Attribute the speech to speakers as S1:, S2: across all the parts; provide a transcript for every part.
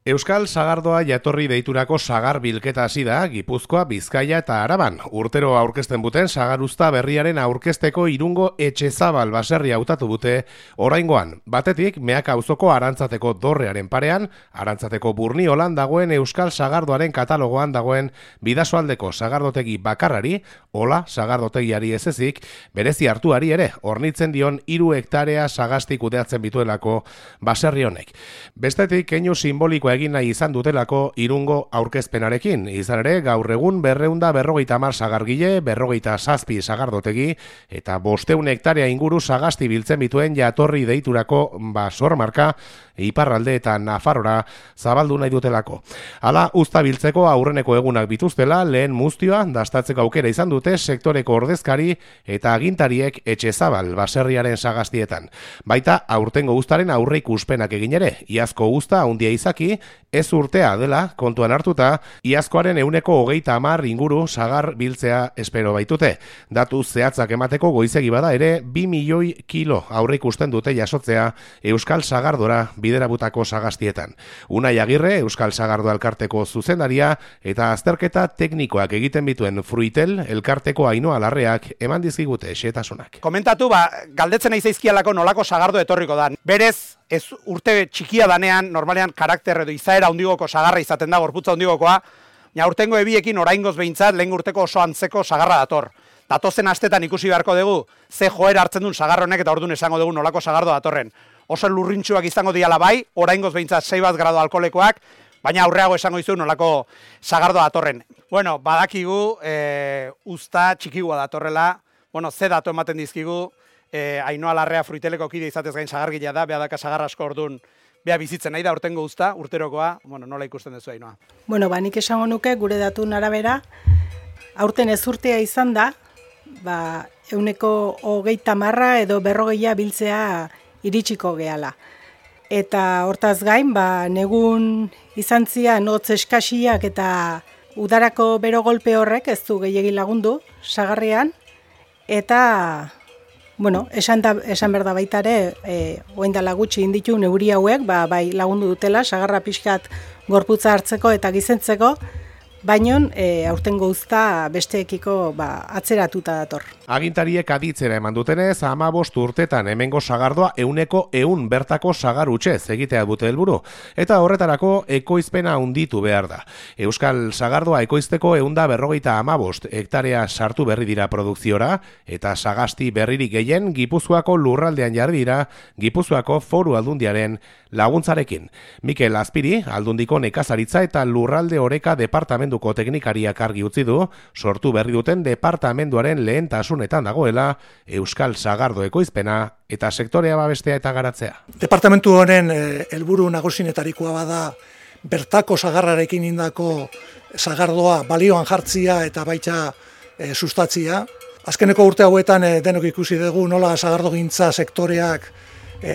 S1: Euskal Sagardoa jatorri deiturako sagar bilketa hasi da Gipuzkoa, Bizkaia eta Araban. Urtero aurkezten buten sagaruzta berriaren aurkezteko Irungo Etxezabal baserria hautatu dute oraingoan. Batetik, Meaka auzoko Arantzateko dorrearen parean, Arantzateko Burniolan dagoen Euskal Sagardoaren katalogoan dagoen Bidasoaldeko sagardotegi bakarrari, hola sagardotegiari ez ezik, berezi hartuari ere, hornitzen dion 3 hektarea sagasti kudeatzen bituelako baserri honek. Bestetik, keinu simbolikoa egin nahi izan dutelako Irungo aurkezpenarekin. Izan ere, gaur egun 250 sagargile, 47 sagardotegi eta 500 hektarea inguru sagasti biltzen bituen jatorri deiturako basormarka iparralde eta Nafarrora zabaldu nahi dutelako. Hala, uzta biltzeko aurreneko egunak bituztela, lehen muztioa dastatzeko aukera izan dute sektoreko ordezkari eta agintariek Etxezabal baserriaren sagastietan. Baita, aurtengo uztaren aurreikuspenak egin ere, iazko uzta handia izaki, ez urtea dela kontuan hartuta, iazkoaren 130 inguru sagar biltzea espero baitute. Datu zehatzak emateko goizegi bada ere 2 milioi kilo aurreikusten dute jasotzea Euskal Sagardora biderabutako sagastietan. Unai Agirre, Euskal Sagardo elkarteko zuzendaria eta azterketa teknikoak egiten bituen Fruitel elkarteko Ainhoa Larreak eman dizkigute xehetasunak.
S2: Komentatu, galdetzen nahi zaizkialako nolako sagardo etorriko da. Berez, ez urte txikia danean, normalean karakter edo izaera hundigoko sagarra izaten da, gorputza hundigokoa, aurtengo ebiekin oraingoz behintzat lehen urteko oso antzeko sagarra dator. Datozen astetan ikusi beharko dugu, ze joera hartzen duen sagarronek eta orduan esango dugu nolako sagardo datorren. Oso lurrintxuak izango diala bai, oraingoz behintzat 6 gradu alkoholikoak, baina aurreago esango dizu nolako sagardo datorren. Bueno, badakigu, uzta txikigua datorrela, ze datu ematen dizkigu, Ainhoa Larrea Fruiteleko kide izatez gain sagargilea da, beha daka sagar asko orduan, beha bizitzen nahi da urtengo uzta, urterokoa, nola ikusten duzu Ainhoa?
S3: Nik esango nuke gure datun arabera, aurten ez urtea izan da, 130 edo 40 biltzea iritsiko gehala. Eta hortaz gain, negun izan zian hotz eskasiak eta udarako bero golpe horrek ez du gehiegi lagundu sagarrean, eta esan behar da baita ere, oindala gutxi inditu neuri hauek, bai lagundu dutela, sagarra pixkat gorputza hartzeko eta gizentzeko, baina aurtengo uzta besteekiko atzeratuta dator.
S1: Agintariek aditzera eman dutenez, 15 urtetan hemengo sagardoa 100% bertako sagar hutsez egitea dute helburu, eta horretarako ekoizpena handitu behar da. Euskal Sagardoa ekoizteko 155 hektarea sartu berri dira produkziora, eta sagasti berririk gehien Gipuzkoako lurraldean jarri dira Gipuzkoako Foru Aldundiaren laguntzarekin. Mikel Azpiri, Aldundiko nekazaritza eta lurralde oreka departamentuko teknikariak argi utzi du, sortu berri duten departamentuaren lehentasunetan dagoela Euskal Sagardo ekoizpena eta sektorea babestea eta garatzea.
S4: Departamentu honen helburu nagusienetarikoa bada bertako sagarrarekin indako sagardoa balioan jartzia eta baita sustatzia. Azkeneko urte hauetan denok ikusi dugu nola sagardogintza sektoreak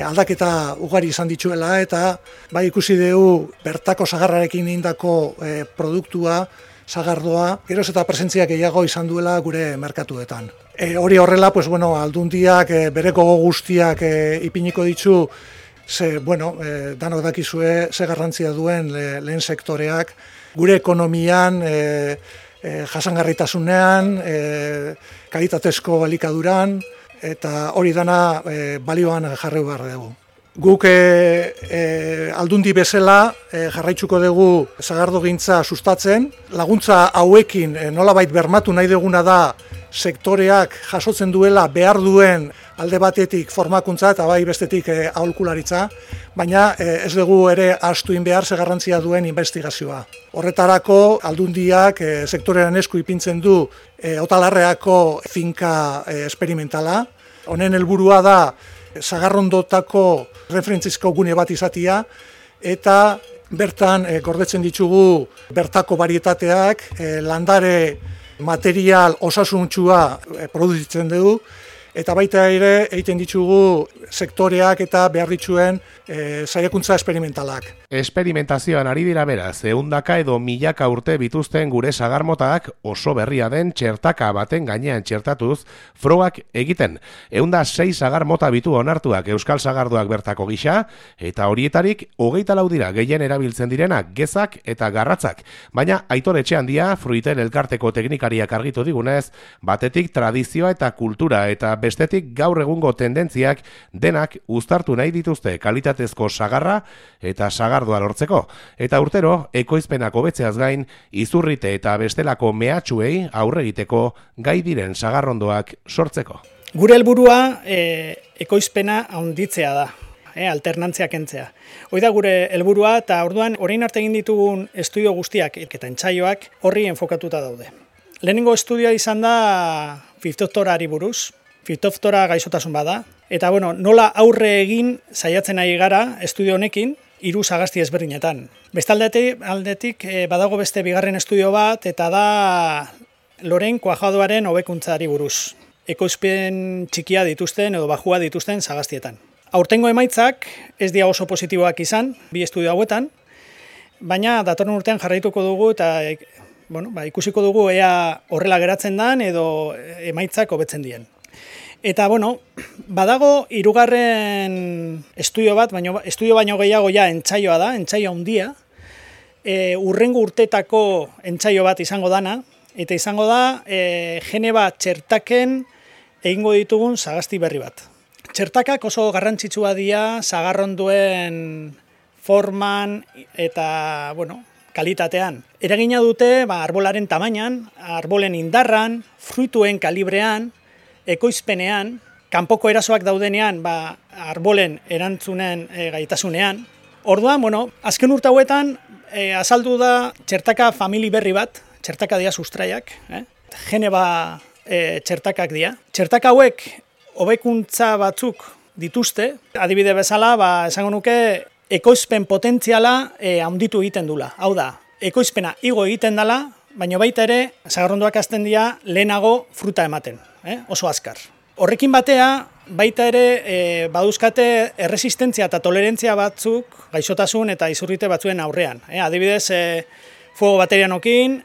S4: aldaketa ugari izan dituela eta bai ikusi dugu bertako sagarrarekin indako produktua, sagardoa, geroz eta presentziak gehiago izan duela gure merkatuetan. Hori horrela, aldundiak bereko guztiak ipiniko ditzu, danok dakizue ze garrantzia duen lehen sektoreak, gure ekonomian, jasangarritasunean, kalitatezko elikaduran, eta hori dana balioan jarri behar dugu. Guk aldundi bezala jarraitzuko dugu sagardogintza sustatzen. Laguntza hauekin nolabait bermatu nahi duguna da sektoreak jasotzen duela behar duen alde batetik formakuntza eta bai bestetik aholkularitza, baina ez dugu ere ahaztu behar ze garrantzia duen investigazioa. Horretarako aldundiak sektorean esku ipintzen du Otalarreako finka esperimentala. Honen helburua da sagarrondotako referentzizko gune bat izatea eta bertan gordetzen ditugu bertako varietateak, landare material osasuntsua produzitzen dugu eta baita ere egiten ditugu sektoreak eta behar dituen saiakuntza esperimentalak.
S1: Esperimentazioan ari dira beraz, 100 edo 1000 urte bituzten gure sagarmotak oso berria den txertaka baten gainean txertatuz frogak egiten. 106 sagar mota bitu onartuak euskal sagardoak bertako gisa, eta horietarik 24 dira gehien erabiltzen direnak gezak eta garratzak. Baina Aitor Etxeandia, Fruiten elkarteko teknikariak argitu digunez, batetik tradizioa eta kultura eta bestetik gaur egungo tendentziak denak uztartu nahi dituzte kalitatezko sagarra eta sagardoa lortzeko. Eta urtero, ekoizpenak hobetzeaz gain, izurrite eta bestelako mehatxuei aurre egiteko gai diren sagarrondoak sortzeko.
S5: Gure helburua ekoizpena handitzea da, alternantzia kentzea. Hoi da gure helburua eta orduan orain arte egin ditugun estudio guztiak eta entsaioak horri enfokatuta daude. Lehenengo estudioa izan da fitoftorari buruz, fitoftora gaixotasun bada, eta nola aurre egin saiatzen ari gara estudio honekin 3 sagasti ezberdinetan. Bestaldetik badago beste bigarren estudio bat eta da loren kuajadoaren hobekuntzari buruz. Ekoizpen txikia dituzten edo bajua dituzten sagastietan. Aurtengo emaitzak ez dira oso positiboak izan, 2 estudio hauetan, baina datorren urtean jarraituko dugu eta ikusiko dugu ea horrela geratzen den edo emaitzak hobetzen dien. Eta badago 3. estudio bat, estudio baino gehiago entsaioa da, entsaio handia, urrengo urtetako entsaio bat izango dana, eta izango da Geneva txertaken egingo ditugun sagasti berri bat. Txertakak oso garrantzitsua dira sagarronduen forman eta kalitatean. Eragina dute arbolaren tamainan, arbolen indarran, fruituen kalibrean, ekoizpenean, kanpoko erasoak daudenean arbolen erantzunen gaitasunean. Orduan, azken urte hauetan azaldu da txertaka famili berri bat, txertaka dira sustraiak, Geneva txertakak dira. Txertaka hauek hobekuntza batzuk dituzte, adibide bezala, esango nuke ekoizpen potentziala handitu egiten dula. Hau da, ekoizpena igo egiten dela, baina baita ere sagarrondoak hasten dira lehenago fruta ematen, oso azkar. Horrekin batea, baita ere baduzkate erresistentzia eta tolerantzia batzuk gaixotasun eta izurrite batzuen aurrean. Adibidez, fuego baterianokin,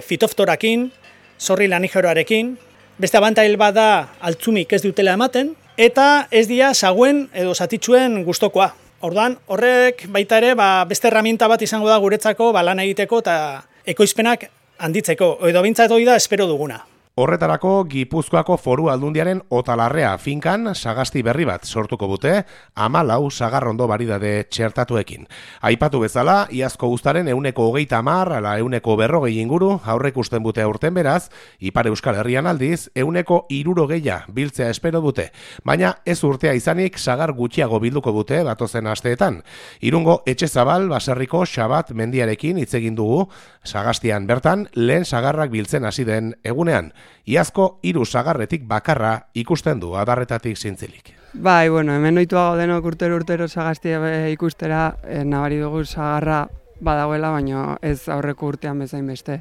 S5: fitoftorakin, zorri lanigeroarekin, beste abantail bat da altzumik ez dutela ematen, eta ez dira saguen edo zatitxuen gustokoa. Orduan, horrek baita ere beste herramienta bat izango da guretzako lan egiteko eta ekoizpenak handitzeko, edo bintzat hori da espero duguna.
S1: Horretarako Gipuzkoako Foru Aldundiaren Otalarrea finkan sagasti berri bat sortuko dute 14 sagarrondo baridade txertatuekin. Aipatu bezala, iazko uztaren 130 ala 140 inguru aurreikusten dute aurten beraz, Ipar Euskal Herrian aldiz 160 biltzea espero dute. Baina ez urtea izanik sagar gutxiago bilduko dute datozen asteetan. Irungo Etxezabal baserriko Xabat mendiarekin hitz egin dugu, sagastian bertan lehen sagarrak biltzen hasi den egunean. Iazko 3 sagarretik bakarra ikusten du adarretatik zintzilik.
S6: Hemen ohituago denok urtero sagastia ikustera, nabari dugu sagarra badagoela, baina ez aurreko urtean bezain beste.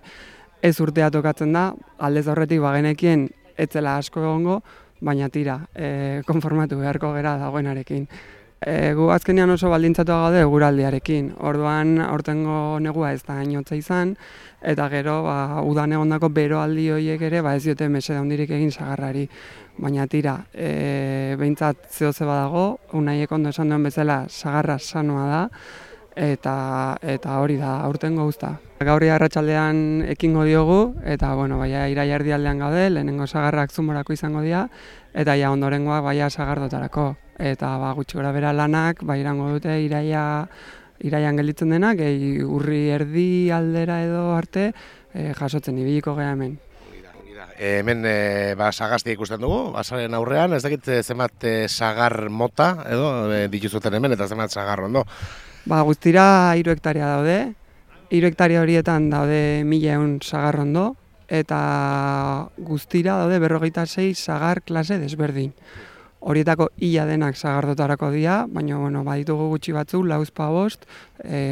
S6: Ez urtea tokatzen da, aldez aurretik bagenekien etzela asko egongo, baina tira, konformatu beharko gera dagoenarekin. Gu azkenean oso baldintzatua gaude eguraldiarekin. Orduan aurtengo negua ez da hainotza izan, eta gero udan egondako beroaldi horiek ere ez diote mesede handirik egin sagarrari. Baina tira, behintzat zehoze badago, Unaiek ondo esan duen bezala sagarra sanoa da, eta hori da aurtengo guzta. Gaurri arratsaldean ekingo diogu, eta iraia erdialdean gaude, lehenengo sagarrak Zumorako izango dira, eta ondorengoak sagardotarako. Eta gutxi gora bera lanak, irango dute iraian gelditzen denak, urri erdi aldera edo arte jasotzen ibiliko geha hemen.
S1: Hemen sagastia ikusten dugu, basaren aurrean, ez dakit zenbat sagar mota edo dituzuten hemen eta zenbat sagarrondo.
S6: Guztira 3 hektarea daude, 3 hektarea horietan daude 1100 sagarrondo, eta guztira daude 46 sagar klase desberdin. Horietako ia denak sagardotarako dira, baina baditugu gutxi batzuk, 4-5,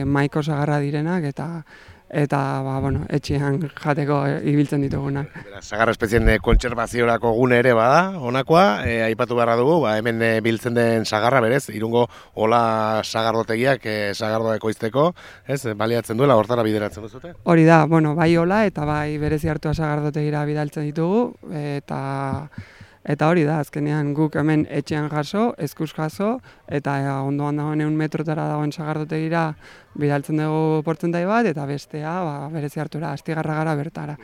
S6: maiko sagarra direnak, eta etxean jateko ibiltzen ditugunak.
S1: Sagar espezien kontserbaziorako gune ere bada, honakoa, aipatu beharra dugu, hemen biltzen den sagarra berez, Irungo Ola sagardotegiak sagardoa ekoizteko, baliatzen duela, hortara bideratzen duzute?
S6: Hori da, bai Ola eta bai berezi hartua sagardotegira bidaltzen ditugu, eta hori da, azkenean guk hemen etxean jaso, eskuz jaso, eta ondoan dagoen 100 metrotara dagoen sagardotegira bidaltzen dugu portzentai bat, eta bestea berezi hartura, Astigarra gara bertara.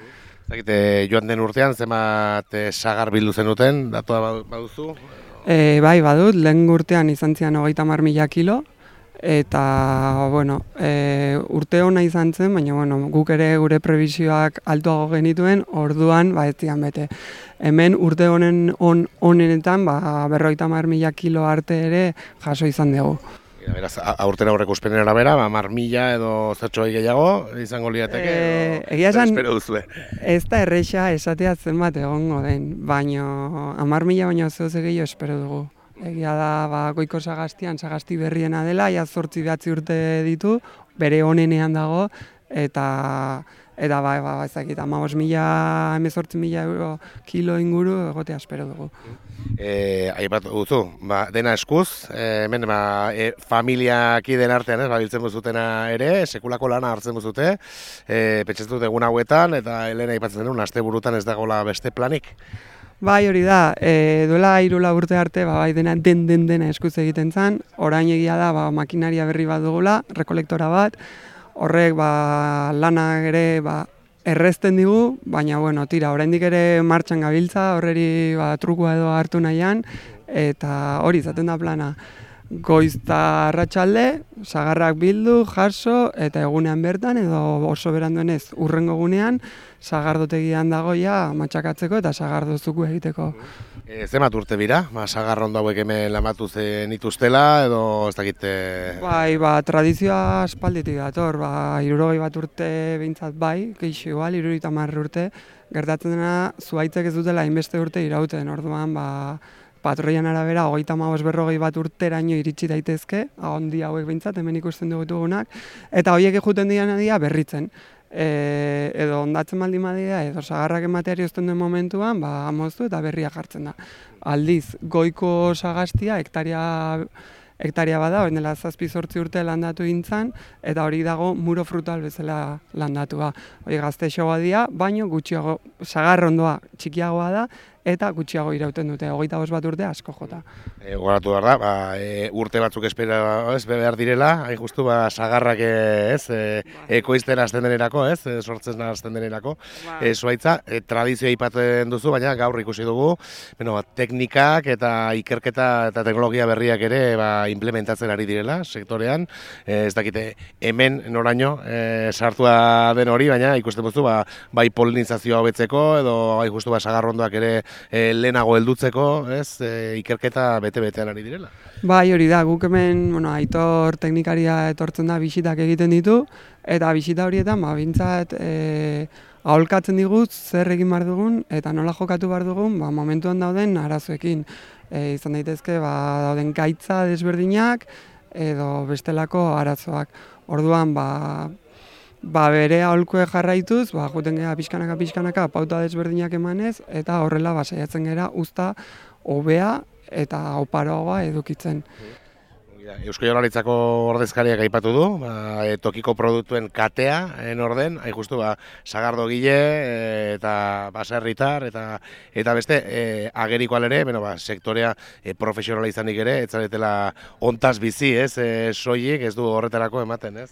S1: Joan den urtean, zenbat sagar bildu zenuten, datua baduzu?
S6: Bai, badut, lehen urtean izan zian 30.000 kilo, eta, urte hona izan zen, baina, guk ere gure prebisioak altuago genituen, orduan, ez zian bete. Hemen urte honenetan, 50.000 kilo arte ere jaso izan dugu.
S1: Beraz, aurten aurreko uspenen arabera, 10.000 edo zertxoi gehiago izango liateke,
S6: egia esan,
S1: espero duzue.
S6: Ez da erresa esatea zenbat egongo den, baina 10.000 baino zehoz gehiago espero dugu. Egia da, Goiko Sagaztian, Sagasti berriena dela, 8-9 urte ditu, bere onenean dago, eta ezakit, 15.000 euro kilo inguru egotea espero dugu.
S1: Aipatu duzu, dena eskuz, hemen familiakideen artean, biltzen buzutena ere, sekulako lana hartzen buzute, pentsatzen dut egun hauetan, eta Elena aipatzen denun, asteburutan ez dagoela beste planik.
S6: Bai, hori da, duela 3 urte arte, dena dena eskuz egiten zen, orain egia da, makinaria berri bat dugula, rekolektora bat, horrek lanak ere errezten digu, baina tira, oraindik ere martxan gabiltza, horreri trukua edo hartu nahian, eta hori izaten da plana. Goizta arratsalde, sagarrak bildu, jaso, eta egunean bertan, edo oso beranduenez urrengo gunean, sagardotegian dagoia matxakatzeko eta sagardozuku egiteko.
S1: Zenbat urte dira? Sagar ondo hauek hemen lamatu zenituztela, edo ez dakit...
S6: Bai, tradizioa aspalditik dator, 60 urte behintzat bai, gehixo igual, 70 urte, gertatzen dena zuhaitzek ez dutela hainbeste urte irauten, orduan, patroian arabera, 35-40 urteraino iritsi daitezke, handi hauek behintzat, hemen ikusten dugunak, eta horiek juten dira berritzen. Edo ondatzen baldin badira, edo sagarrak emateari ozten duen momentuan, moztu eta berria jartzen da. Aldiz, Goiko Sagaztia hektaria bada, hori dela 7-8 urte landatu gintzan, eta hori dago muro frutal bezala landatua. Hori gaztexoa dira, baino gutxiago, sagar ondoa txikiagoa da, eta gutxiago irauten dute, 25 urte asko jota.
S1: Goratu behar da, urte batzuk espera behar direla, hain justu sagarrak ekoizten hasten denerako, sortzen hasten denerako. Zuaitza, tradizioa ipaten duzu, baina gaur ikusi dugu, teknikak eta ikerketa eta teknologia berriak ere implementatzen ari direla sektorean. Ez dakite, hemen noraino sartua den hori, baina ikusten duzu, bai polinizazioa hobetzeko, edo bai justu sagarrondoak ere lehenago heldutzeko, ikerketa bete-betean ari direla.
S6: Bai, hori da, guk hemen, Aitor teknikaria etortzen da bisitak egiten ditu, eta bisita horietan, bintzat, aholkatzen digut zer egin behar dugun, eta nola jokatu behar dugun, momentuan dauden arazoekin. Izan daitezke, dauden gaitza desberdinak, edo bestelako arazoak. Orduan, bere aholkue jarraituz, juten gara pixkanaka pauta desberdinak emanez, eta horrela saiatzen gara uzta hobea eta oparoagoa edukitzen.
S1: Eusko Jaurlaritzako ordezkariak aipatu du, tokiko produktuen katea, orden, hain justu, sagardogile eta baserritar, eta beste, ageriko alere, sektorea profesionala izanik ere, ez zaretela ontaz bizi, soilik, ez du horretarako ematen, ez?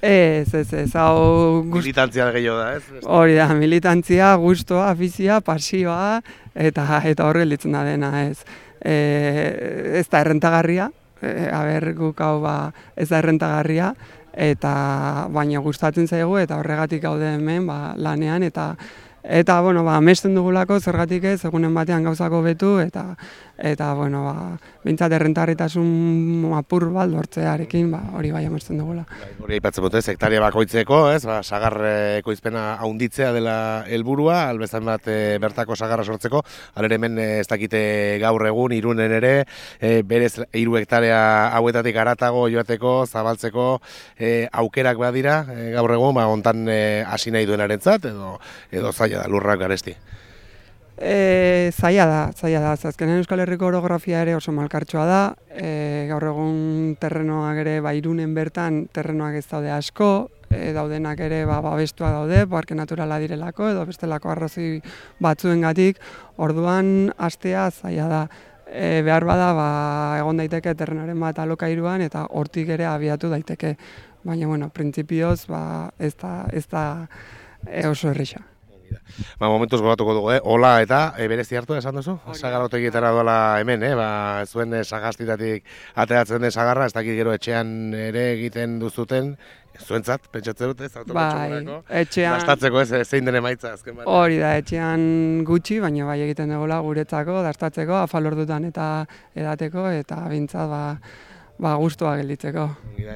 S6: Ez, hau...
S1: Militantzia gehiago da, ez?
S6: Hori da, militantzia, gustoa, afizioa, pasioa, eta horre litzen da dena, ez. Ez da errentagarria, guk hau ez da errentagarria, baina gustatzen zaigu, eta horregatik gaude hemen lanean, eta amesten dugulako, zergatik ez, egunen batean gauzako betu, eta eta, bueno, bintzat errentarritasun apur bat lortzearekin, hori bai amesten dugula.
S1: Hori aipatzen dute, hektaria bakoitzeko, sagar ekoizpena haunditzea dela helburua, albezan bat bertako sagarra sortzeko, alere hemen ez dakite gaur egun, Irunen ere, berez 3 hektarea hauetatik haratago joateko, zabaltzeko aukerak badira, gaur egun, hontan hasi nahi duenarentzat, edo zaila da lurrak garesti.
S6: Zaila da. Azkenean Euskal Herriko orografia ere oso malkartsua da. Gaur egun terrenoak ere Irunen bertan terrenoak ez daude asko, daudenak ere babestua daude, parke naturala direlako edo bestelako arrazoi batzuengatik. Orduan hastea zaila da. Behar bada egon daiteke terrenoaren bat alokairuan eta hortik ere abiatu daiteke. Baina, bueno, printzipioz ez da oso erresa.
S1: Momentuz gogatuko dugu, hola eta berezi hartu esan duzu? Sagarrotegietara doala hemen, zuen sagastitatik ateratzen den sagarra, ez dakit gero etxean ere egiten duzuten, zuentzat, pentsatzen dut, ez autokontsumerako, dastatzeko zein den emaitza azken bat.
S6: Hori da, etxean gutxi, baina bai egiten dugula guretzako, dastatzeko, afalordutan eta edateko, eta bintzat gustua gelditzeko.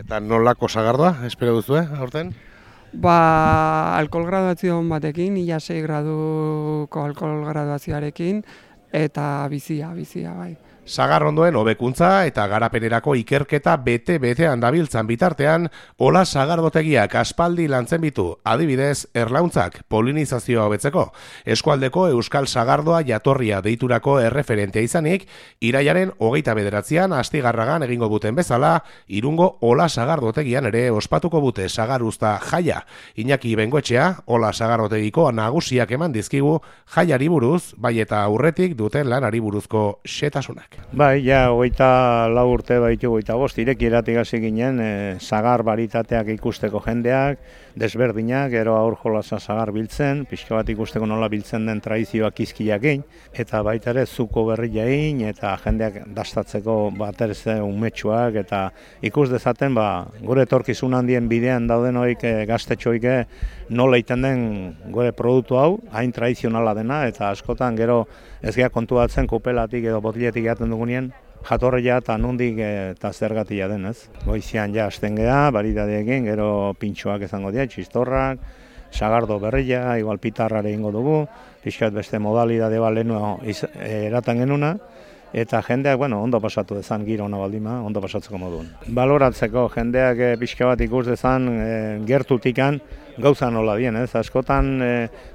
S1: Eta nolako sagardoa, espero duzu, aurten?
S6: Alkohol graduazio batekin, 6 graduko alkohol graduazioarekin, eta bizia, bai.
S1: Sagar ondoen hobekuntza eta garapenerako ikerketa bete-betean dabiltzan bitartean, hola sagardotegiak aspaldi lantzen bitu, adibidez, erlauntzak polinizazioa hobetzeko. Eskualdeko Euskal Sagardoa jatorria deiturako erreferentea izanik, irailaren 29an Astigarragan egingo buten bezala, Irungo hola sagardotegian ere ospatuko bute sagaruzta jaia. Iñaki Bengoetxea, hola sagardotegiko nagusiak eman dizkigu jaiari buruz, bai eta aurretik duten lanari buruzko xetasunak.
S7: Bai, ja, 24 urte baitu 25, irekieratik hasi ginen, sagar baritateak ikusteko jendeak, desberdinak, gero aur jolasa sagar biltzen, pixka bat ikusteko nola biltzen den tradizioak izkiak egin, eta baita ere zuko berria egin, eta jendeak dastatzeko baterze umetsuak, eta ikus dezaten, gure etorkizun handien bidean dauden hoik gaztetxoik nola iten den gure produktu hau, hain tradizionala dena, eta askotan gero ez gea kontuatzen kopelatik edo botiletik jaten dugunien, jatorria eta nondik eta zergatia den, ez? Goizian ja hasten gea, baridadeekin, gero pintxoak izango dira, txistorrak, sagardo berria, igual pitarrare ingo dugu, pixkat beste modalidade lehenu eratan genuna, eta jendeak, ondo pasatu dezan giro hona baldima, ondo pasatzeko moduen. Baloratzeko jendeak pixka bat ikus dezan gertutikan gauza nola dien, ez? Askotan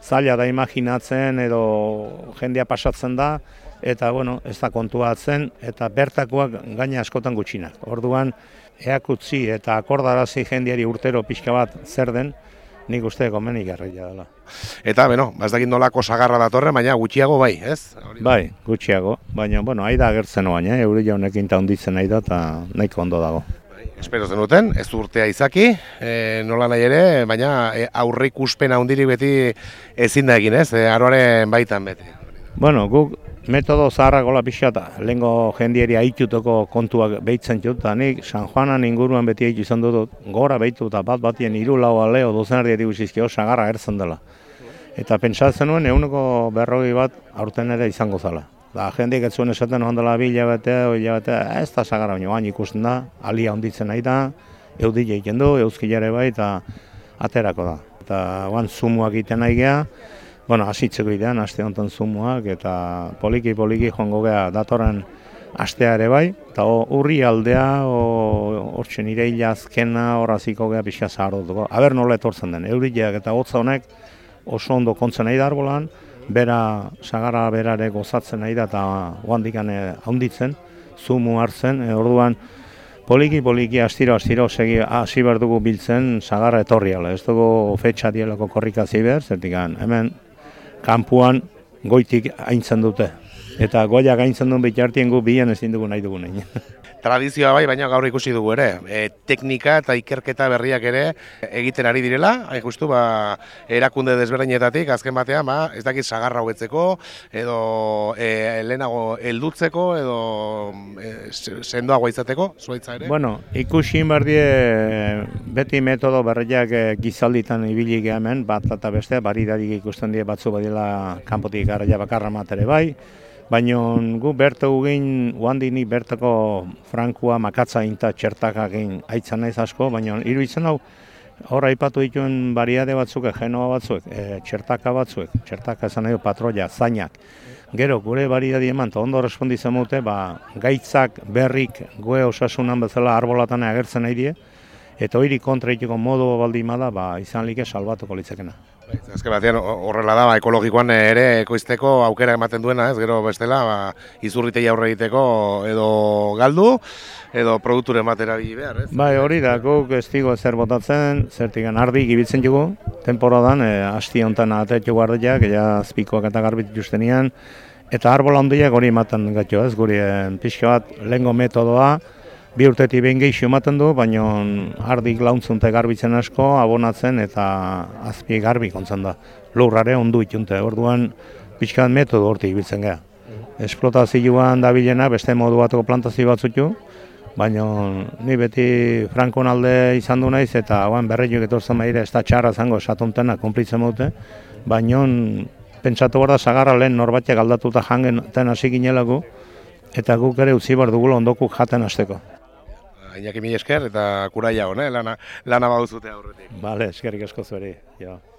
S7: zaila da imaginatzen edo jendea pasatzen da, eta ez da kontuatzen, eta bertakoak gaina askotan gutxinak. Orduan, eakutzi eta akordarazi jendeari urtero pixka bat zer den, nik uste gomenik garria dela.
S1: Eta, ez dakit nolako sagarra datorren, baina gutxiago bai, ez?
S7: Bai, gutxiago, baina, aida agertzen oain, euri jaunekin eta hunditzen nahi da, eta nahiko ondo dago.
S1: Espero zenuten, ez urtea izaki, nola nahi ere, baina aurre ikuspena hundirik beti ezin da egin, ez? Aroaren baitan beti.
S7: Guk metodo zaharrak gola pixata, lehenko jendieri haituteko kontuak behitzen dut, eta nik San Juanan inguruan beti haitu izan dut, gora behitu eta batien 3-4 aleo dozenardi guzizkio sagarra ertzen dela. Eta pentsatzen nuen, 140 bat aurten ere izango zala. Jendeak ez zuen esaten ondela 2 hilabete, ez da sagarra, baina bain ikusten da, alia honditzen nahi da, eudile egiten du, euskilare bai, eta aterako da. Eta zumuak egiten nahi geha, hasitzeko idean, aste honetan zumuak, eta poliki joango geha datorren astea ere bai, eta urri aldea, hortzen ireila azkena, horraziko geha pixka zahardotuko. Aber nola etortzen den, eurileak eta hotza honek oso ondo kontzen nahi da arbolan, bera sagarra berare gozatzen nahi da, eta oandikan haunditzen, zumu hartzen, orduan poliki astiro hasi behar dugu biltzen sagarra etorriala. Ez dugu fetxa dielako korrikazi behar, zertik hemen kanpuan goitik aintzen dute. Eta goiak aintzen duen bitartien gu bian ezin dugu nahi dugu nahi.
S1: Tradizioa bai, baina gaur ikusi dugu ere. Teknika eta ikerketa berriak ere egiten ari direla. Justu, erakunde desberdinetatik, azken batean, ez dakit sagarra hobetzeko, edo lehenago heldutzeko, edo sendoagoa izateko, zuaitza ere?
S7: Ikusi berdie beti metodo berriak gizalditan ibili hemen, bat eta beste, baridadik ikusten die batzu badila kanpotik garraia bakarra matere bai, baina gu bertu gugin, uandini bertako frankua makatza inta txertakak egin aitzan naiz asko, baina iruditzen hau, hor aipatu dituen bariade batzuk, genoa batzuek, txertaka batzuek, txertaka esan nahi patroia, zainak. Gero, gure bariadi eman, eta ondo responditzen dute, gaitzak, berrik, goe osasunan bezala arbolatan agertzen nahi die, eta hori kontra itiko modu baldimada, izan like salbatuko litzekena.
S1: Azken batean horrela da, ekologikoan ere ekoizteko aukera ematen duena, ez gero bestela, izurritei aurre egiteko edo galdu, edo produkturen batera bili behar, ez?
S7: Bai, hori da, guk ez digo zer botatzen, zertikan ardi gibitzen dugu, temporadan, hasti honetan atetxo guardiak, azpikoak eta garbit justenian, eta arbola handiak hori ematen gatio, ez, guri pixka bat lehengo metodoa, 2 urtetik behin gehiago ematen du, baina ardik launtzunte garbitzen asko, abonatzen eta azpi garbi kontzen da. Lurrare ondu itunte, orduan pixka bat metodo hortik ibiltzen geha. Esplotazioan dabilena beste modu bateko plantazio batzutu, baina ni beti Frankon alde izan du naiz eta berreiuk etortzen behire ez da txarra zango esatuntena konplitzen dute, baina pentsatu behar da sagarra lehen norbatek aldatuta jangen hasi ginelago, eta guk ere utzi behar dugula ondokuk jaten hasteko.
S1: Iñaki mila esker eta kuraia hone, lana baduzute aurretik.
S7: Bale, eskerrik asko zueri.